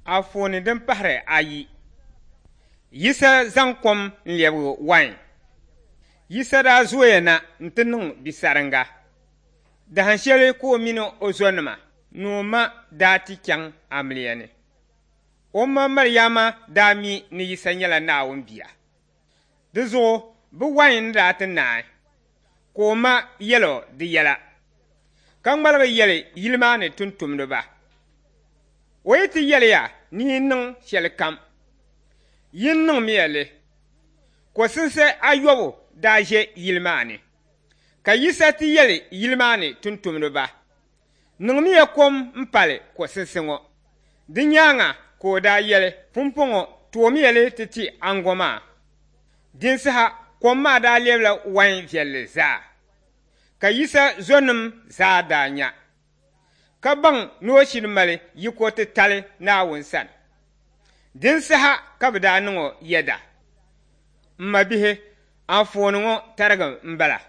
Anfooni din pahiri ayi. Yisa zaŋ kom n-lɛbigi wain. Yisa daa zooya na nti niŋ bisaringa. Dahin shɛli ka o mini o zɔnima ni o ma daa ti chaŋ amiliya ni. O ma Mariama daa mi ni Yisa nyɛla Naawuni bia. Di zuɣu bɛ wain ni daa ti naai, ka o ma yɛl o di yɛla, ka ŋmaligi yɛli yili maa ni tumtumdiba, O yi ti yɛli ya ni yi niŋ shɛlikam, yin niŋmiya li. Kɔsinsi ayɔbu daa ʒe yili maa ni. Ka Yisa ti yɛli yili maa ni tumtumdiba, Niŋmiya kom m-pali kɔsinsi ŋɔ. Di nyaaŋa ka o daa yɛli, Pumpɔŋɔ toomiya li ti ti aŋgo maa. Din saha kom maa daa lɛbila wain viɛlli zaa. Ka Yisa zɔnim zaa daa nya, ka baŋ ni o shiri mali yiko titali Naawuni sani. Din saha ka bɛ daa niŋ o yɛda. M mabihi, anfooni ŋɔ tarigi m-bala.